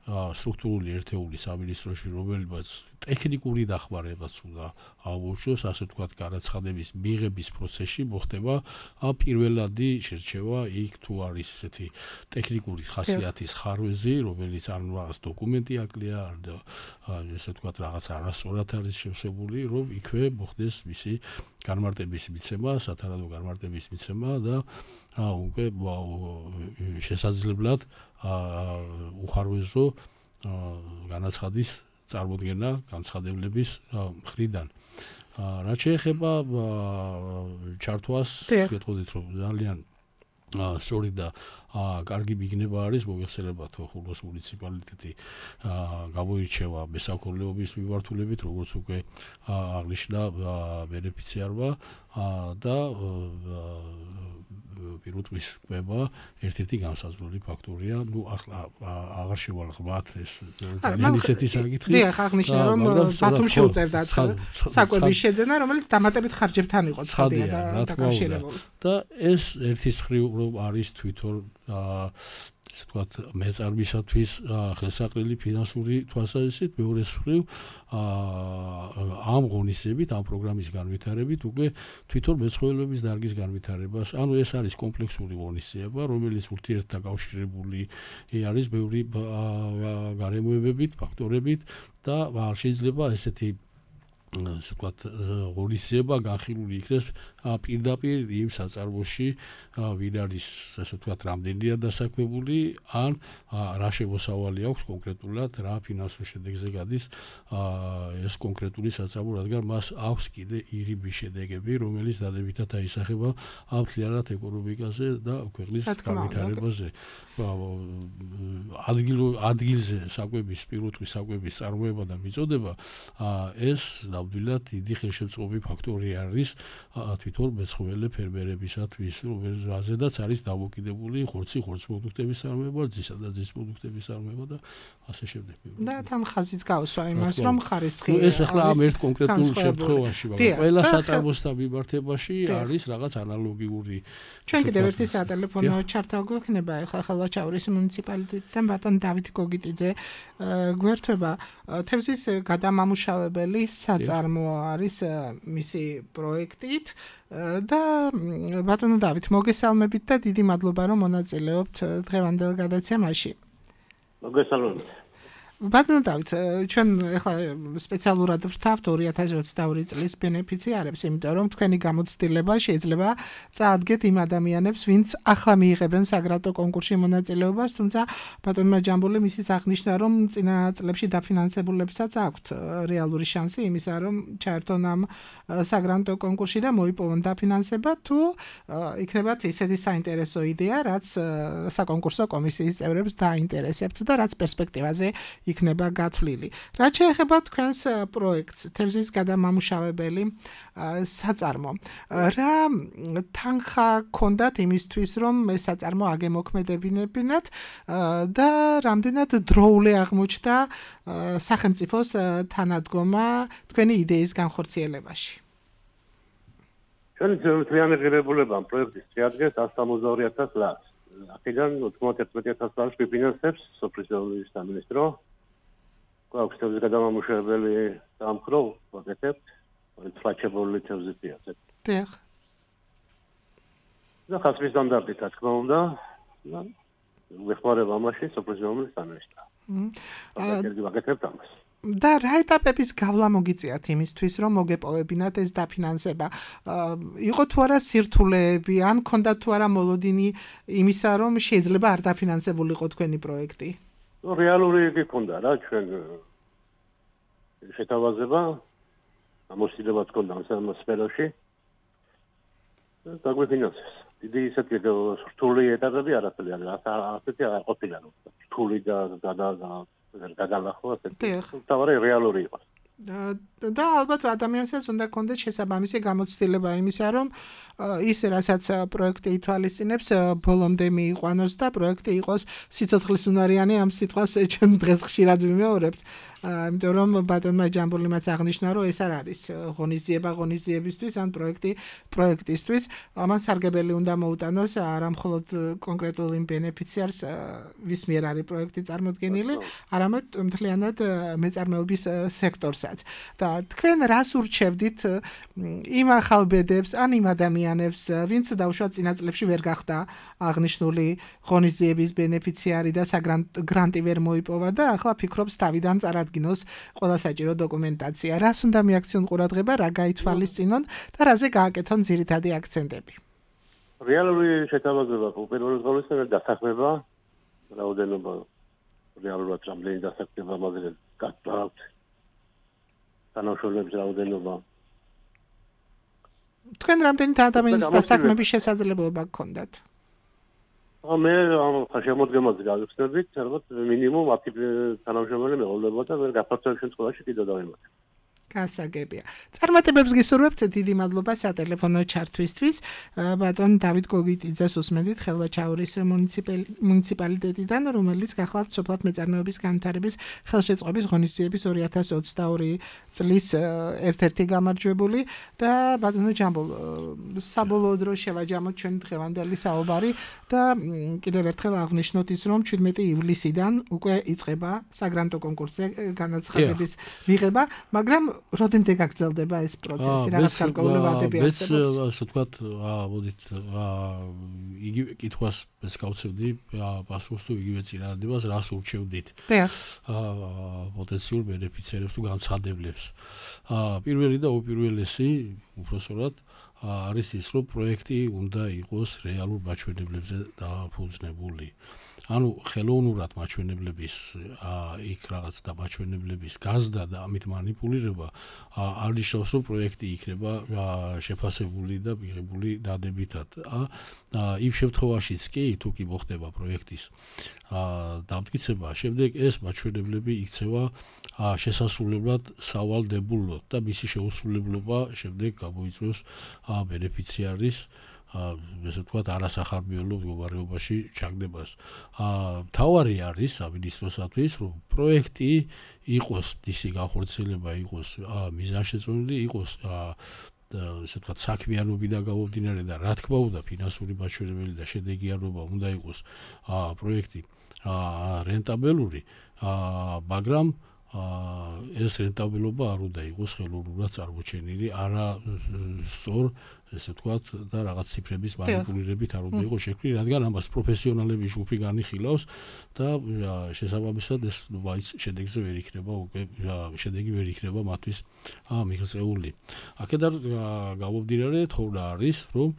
სტრუქტურული ერთეული სამინისტროში, რომელმაც ტექნიკური დახმარებაც უნდა აუშვოს, ასე ვთქვათ, განაცხადების მიღების პროცესში მოხდება პირველადი შერჩევა იქ თუ არის ესეთი ტექნიკური ხასიათის ხარვეზი, რომელიც არ რაღაც დოკუმენტი აკლია, ესე ვთქვათ, რაღაც არასწორად არის შევსებული, რომ იქვე მოხდეს მისი განმარტების მიცემა, სათანადო განმარტების მიცემა და უკვე შესაძლებლად უხარვეზო განაცხადის წარმოდგენა განცხადებლების მხრიდან. რაც შეეხება ჩართვას, გეტყოდით, რომ ძალიან სწორი და კარგი მიგნება არის, მოგეხსენებათ, ხულოს მუნიციპალიტეტი გამოირჩევა მესაქონლეობის მიმართულებით, როგორც უკვე აღნიშნა ბენეფიციარმა და პირუტყვის კვება ერთ-ერთი განსაზღვრული ფაქტორია. ნუ ახლა აღარ შევალღბათ ეს ძალიან ისეთი საკითხი. დიახ, აღნიშნა, რომ ბათუმ შეუწევდა საკვების შეძენა, რომელიც დამატებით ხარჯებთან იყო ცხადია და დაკავშირებული. და ეს ერთის მხრივ რომ არის თვითონ ესე ვთქვათ, მეწარმისათვის ხელსაყრელი ფინანსური თვალსაზრისით, მეორეს მხრივ ამ ღონისძიებით, ამ პროგრამის განვითარებით უკვე თვითონ მეცხოველეობის დარგის განვითარებას, ანუ ეს არის კომპლექსური ღონისძიება, რომელიც ურთიერთდაკავშირებული არის ბევრი გარემოებებით, ფაქტორებით და შეიძლება ესეთი ასე ვთქვათ, ღონისძიება განხილული იქნეს პირდაპირ იმ საწარმოში, ვინ არის, ასე ვთქვათ, რამდენია დასაქმებული, ან რა შემოსავალი აქვს კონკრეტულად, რა ფინანსურ შედეგზე გადის ეს კონკრეტული საწარმო, რადგან მას აქვს კიდე ირიბი შედეგები, რომელიც დადებითად აისახება მთლიანად ეკონომიკაზე და ქვეყნის განვითარებაზე. ადგილზე საკვების, პირუტყვის საკვების წარმოება და მიწოდება, ეს ნამდვილად დიდი ხელშემწყობი ფაქტორი არის თვითონ მეცხოველე ფერმერებისათვის, რომელზედაც არის დამოკიდებული ხორცი, ხორცპროდუქტების წარმოება, ძისა და ძის პროდუქტების წარმოება და ასე შემდეგ. და თან ხაზიც გავსვა იმას, რომ ხარისხი ეს ახლა ამ ერთ კონკრეტულ შემთხვევაში, მაგრამ ყველა საწარმოსთან მიმართებაში არის რაღაც ანალოგიური. ჩვენ კიდევ ერთი სატელეფონო ჩართა გვექნება, ახლა ხალვაჩაურის მუნიციპალიტეტიდან ბატონ დავით გოგიტიძე გვერდება. თევზის გადამამუშავებელი საწარმო არის მისი პროექტით და ბატონო დავით, მოგესალმებით და დიდი მადლობა, რომ მონაწილეობთ დღევანდელ გადაცემაში. მოგესალმებით. ბატონო დავით, ჩვენ ახლა სპეციალურად ვставთ ორი ათას ოცდაორი წლის ბენეფიციარებს, იმიტომ რომ თქვენი გამოცდილება შეიძლება წაადგეთ იმ ადამიანებს, ვინც ახლა მიიღებენ საგრანტო კონკურსში მონაწილეობას, თუმცა ბატონმა ჯამბული მისის აღნიშნა, რომ წინა წლებში დაფინანსებულებსაც აქვთ რეალური შანსი იმისა, რომ ჩაერთონ ამ საგრანტო კონკურსში და მოიპოვონ დაფინანსება, თუ იქნებათ ისეთი საინტერესო იდეა, რაც საკონკურსო კომისიის წევრებს დაინტერესებთ და რაც პერსპექტივაზე იქნება გათვლილი. რაც შეეხება თქვენს პროექტს, თევზის გადამამუშავებელი საწარმო. რა თანხა გქონდათ იმისთვის, რომ ეს საწარმო აგემოქმედებინებინათ და რამდენად დროული აღმოჩნდა სახელმწიფოს თანადგომა თქვენი იდეის განხორციელებაში? ჩვენი ძირითადი ღირებულება ამ პროექტის შეადგენს εκατს სამოცდაორი ათას ლარს. აქედან ოცდაათი ათას ლარს ფინანსებს სოფლის მეურნეობის სამინისტრო. გვაქვს თევზის გადამამუშავებელი სამხრო, ვაკეთებთ ფლაჩებული თევზის პიაცებს. დიახ. და ხასვის სტანდარტით, რა თქმა უნდა, ვეხმარება ამაში სოფლის მეურნეობის სამინისტრო. აა ვაკეთებთ ამას. და რა ეტაპების გავლა მოგიწიათ იმისთვის, რომ მოგეპოვებინათ ეს დაფინანსება? იყო თუ არა სირთულეები, ან ქონდა თუ არა მოლოდინი იმისა, რომ შეიძლება არ დაფინანსებულიყო თქვენი პროექტი? რეალური იგი ქონდა რა, ჩვენ შეთავაზება, ამოსილებაც ქონდა ამ სფეროში. დაგვიფინანსეს. დიდი ისეთი რთული ეტაპები არაფერი არ ასეთი არ ყოფილა, რთული და და გადალახვა ასეთი. თავარი რეალური იყო. და ალბათ ადამიანსაც უნდა კონდეთ შესაბამისი გამოცდილება იმისა, რომ ის რასაც პროექტი ითვალისწინებს, ბოლომდე მიიყვანოს და პროექტი იყოს სიცოცხლის უნარიანი, ამ სიტყვას ჩვენ დღეს ხშირად ვიმეორებთ. იმიტომ რომ ბატონმა ჯამბულიმაც აღნიშნა, რომ ეს არ არის ღონისძიება ღონისძიებისთვის, ან პროექტი პროექტისთვის, ამან სარგებელი უნდა მოუტანოს არა მხოლოდ კონკრეტულ იმ ბენეფიციარს, ვის მიერ არის პროექტი წარმოდგენილი, არამედ მთლიანად მეწარმეობის სექტორსაც. და თქვენ რას ურჩევდით იმ ახალ ბედებს, ან იმ ადამიანებს, ვინც დაუშვათ წინა წლებში ვერ გახდა აღნიშნული ღონისძიების ბენეფიციარი და საგრანტი ვერ მოიპოვა და ახლა ფიქრობს თავიდან წარადგინოს ყველა საჭირო დოკუმენტაცია. რას უნდა მიაქციონ ყურადღება, რა გაითვალისწინონ და რაზე გააკეთონ ძირითადი აქცენტები? რეალური შეთავაზება პირველ ყოვლისა დასახმება, რაოდენობა რეალურად რამდენი დასახმება მაგაზე გასწავლთ. თანამშრომლების რაოდენობა. თქვენ რამდენი ადამიანის დასაქმების შესაძლებლობა გქონდათ? მე ამ შემოდგომაზე გავიხსნებით, ალბათ მინიმუმ ათი თანამშრომელი მეყოლებოდა და ვერ გაფართოების შემთხვევაში კიდევ დავიმატებ. გასაგებია. წარმატებებს გისურვებთ, დიდი მადლობა სატელეფონო ჩართვისთვის. ბატონ დავით გოგიტიძეს უსმენთ ხელვაჩაურის მუნიციპალიტეტიდან, რომელიც გახლავთ სოფლად მეწარმეობის განვითარების ხელშეწყობის ღონისძიების ორი ათას ოცდაორი წლის ერთ-ერთი გამარჯვებული და ბატონო ჯამბულ, საბოლოოდ რო შევაჯამოთ ჩვენ დღევანდელი საუბარი და კიდევ ერთხელ აღნიშნოთ ის, რომ შვიდმეტი ივლისიდან უკვე იწყება საგრანტო კონკურსზე განაცხადების მიღება, მაგრამ როდემდე გაგრძელდება ეს პროცესი, რაღაც გარკვეული ვადები არსებობს? მეც ასე ვთქვათ, მოდით იგივე კითხვას მეც გავცევდი, პასუხს თუ იგივე წინადადებას, რას ურჩევდით? პოტენციურ ბენეფიციარებს თუ განცხადებლებს. პირველი და უპირველესი, უпроსორად არის ის, რომ პროექტი უნდა იყოს რეალურ მაჩვენებლებზე დაფუძნებული. ანუ ხელოვნურად მაჩვენებლების იქ რაღაც და მაჩვენებლების გაზდა და ამით манипуლირება არ ნიშნავს, რომ პროექტი იქნება შეფასებული და მიღებული დადებითად. იმ შემთხვევაშიც კი, თუ კი მოხდება პროექტის დამტკიცება, შემდეგ ეს მაჩვენებლები იქცევა შესასრულებლად სავალდებულოდ და მისი შეუსრულებლობა შემდეგ გამოიწვევს ბენეფიციარის ესე ვთქვათ, არასახარბიელო მდგომარეობაში ჩაგდებას. მთავარი არის სამინისტროსათვის, რომ პროექტი იყოს, მისი განხორციელება იყოს მიზანშეწონილი, იყოს ესე ვთქვათ, საქმიანობიდან გამომდინარე და რა თქმა უნდა, ფინანსური მაჩვენებელი და შედეგიანობა უნდა იყოს პროექტი რენტაბელური, მაგრამ ეს რენტაბილობა არ უნდა იყოს ხელოვნურად წარმოჩენილი, არა სწორ, ესე ვთქვათ, და რაღაც ციფრების манипуლირებით არ უნდა იყოს შექმნილი, რადგან ამას პროფესიონალების ჯგუფი განიხილავს და შესაბამისად ეს ვაიც შედეგზე ვერ იქნება, უკვე შედეგი ვერ იქნება მათთვის მიღწეული. აქედან გამომდინარე, თხოვნა არის, რომ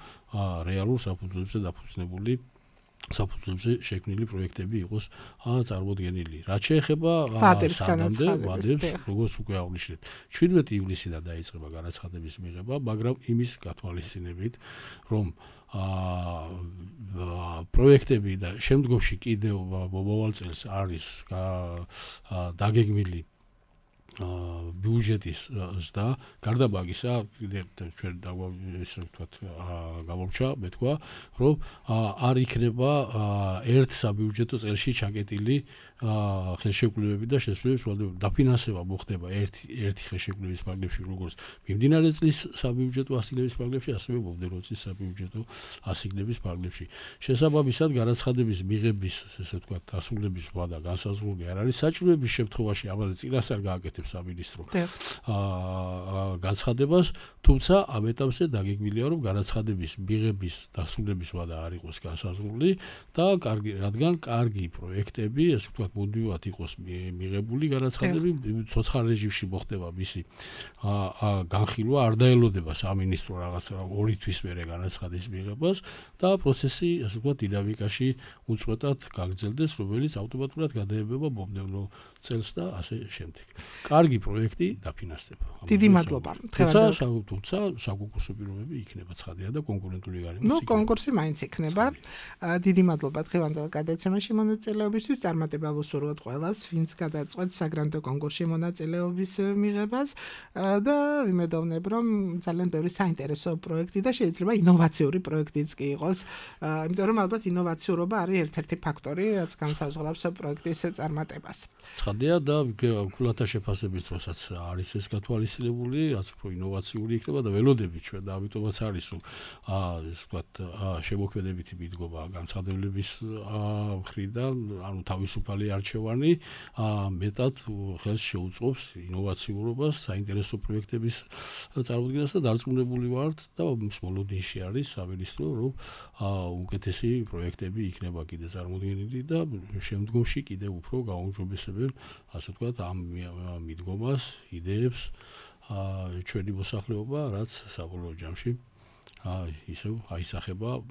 რეალურ საფუძვლებზე დაფუძნებული საფუძვლებზე შექმნილი პროექტები იყოს წარმოდგენილი. რაც შეეხება სამდამდე ვადებს, როგორც უკვე აღნიშნეთ, შვიდმეტი ივლისიდან დაიწყება განაცხადების მიღება, მაგრამ იმის გათვალისწინებით, რომ პროექტები და შემდგომში კიდევ მომავალ წელს არის დაგეგმილი ბიუჯეტის ზრდა, გარდა მაგისა, ჩვენ ისე ვთქვათ, გამორჩა, მეთქვა, რომ არ იქნება ერთ საბიუჯეტო წელში ჩაკეტილი ხელშეკრულებები და შესრულების დაფინანსება მოხდება ერთი ერთი ხელშეკრულების ფარგლებში, როგორც მიმდინარე წლის საბიუჯეტო ასიგნების ფარგლებში, ასევე მომდევნო წლის საბიუჯეტო ასიგნების ფარგლებში. შესაბამისად, განაცხადების მიღების, ესე ვთქვათ, დასრულების ვადა განსაზღვრული არ არის საჭიროების შემთხვევაში, ამაზე წინასწარ გააკეთებს სამინისტრო განცხადებას, თუმცა ამ ეტაპზე დაგეგმილია, რომ განაცხადების მიღების დასრულების ვადა არ იყოს განსაზღვრული და კარგი, რადგან კარგი პროექტები, ესე ვთქვათ, მუდმივად იყოს მიღებული განაცხადები, ცოცხალ რეჟიმში მოხდება მისი განხილვა, არ დაელოდება სამინისტრო რაღაც ორი თვის მერე განაცხადის მიღებას და პროცესი, ასე ვთქვათ, დინამიკაში უწყვეტად გაგრძელდეს, რომელიც ავტომატურად გადაებება მომდევნო წელს და ასე შემდეგ. კარგი პროექტი დაფინანსდება. დიდი მადლობა. თუმცა საკონკურსო პირობები იქნება ცხადია და კონკურენტული გარემოს. ნუ კონკურსი მაინც იქნება. დიდი მადლობა დღევანდელ გადაცემაში მონაწილეობისთვის. წარმატება ვუსურვოთ ყველას, ვინც გადაწყვეტს საგრანტო კონკურსში მონაწილეობის მიღებას და ვიმედოვნებ, რომ ძალიან ბევრი საინტერესო პროექტი და შეიძლება ინოვაციური პროექტიც კი იყოს. იმიტომ რომ ალბათ ინოვაციურობა არის ერთ-ერთი ფაქტორი, რაც განსაზღვრავს პროექტის წარმატებას. ცხადია და კულათა შეფასების დროსაც არის ეს გათვალისწინებული, რაც უფრო ინოვაციური იქნება და ველოდებით ჩვენ და ამიტომაც არის, რომ ესე ვთქვათ, შემოქმედებითი მიდგომა განცხადებლების მხრიდან, ანუ თავისუფალი არჩევანი მეტად ხელს შეუწყობს ინოვაციურობას, საინტერესო პროექტების წარმოდგენას და დარწმუნებული ვართ და მის მოლოდინში არის სამინისტრო, რომ უკეთესი პროექტები იქნება კიდე წარმოდგენილი და შემდგომში კიდევ უფრო გაუმჯობესებენ, ასე ვთქვათ, ამ მიდგომას, იდეებს ჩვენი მოსახლეობა, რაც საბოლოო ჯამში ისევ აისახება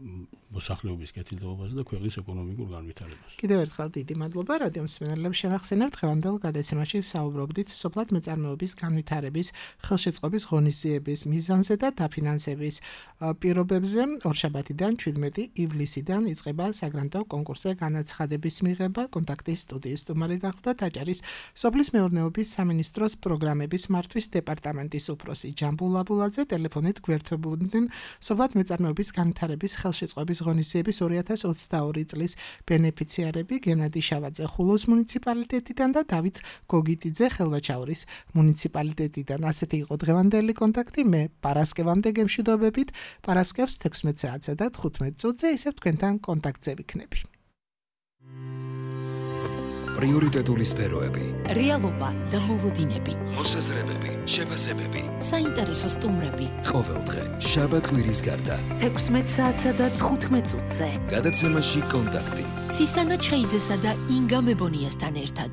მოსახლეობის კეთილდღეობაზე და ქვეყნის ეკონომიკურ განვითარებას. კიდევ ერთხელ დიდი მადლობა რადიო მსმენელებს შევახსენებთ დღევანდელ გადაცემაში საუბრობდით სოფლად მეწარმეობის განვითარების, ხელშეწყობის ღონისძიების მიზანზე და დაფინანსების პირობებზე. ორშაბათიდან შვიდმეტი ივლისიდან იწყება საგრანტო კონკურსზე განაცხადების მიღება. კონტაქტის სტუდიის სტუმარი გახდა ტაჭარის სოფლის მეურნეობის სამინისტროს პროგრამების მართვის დეპარტამენტის უფროსი ჯამბულ აბულაძე. ტელეფონით გვერდებოდნენ სოფლად მეწარმეობის განვითარების ხელშეწყობის ღონისძიების ორი ათას ოცდაორი წლის ბენეფიციარები გენადი შავაძე ხულოს მუნიციპალიტეტიდან და დავით გოგიტიძე ხელვაჩაურის მუნიციპალიტეტიდან. ასეთი იყო დღევანდელი კონტაქტი. მე პარასკევამდე გემშვიდობებით. პარასკევს თექვსმეტ საათსა და თხუთმეტ წუთზე ისევ თქვენთან კონტაქტზე ვიქნები. პრიორიტეტული სფეროები, რეალობა და მოლოდინები, მოსაზრებები, შეფასებები, საინტერესო სტუმრები. ყოველდღე შაბათ კვირის გარდა თექვსმეტ საათსა და თხუთმეტ წუთზე. გადაცემაში კონტაქტი. ცისანა ჩხეიძესა და ინგა მებონიასთან ერთად.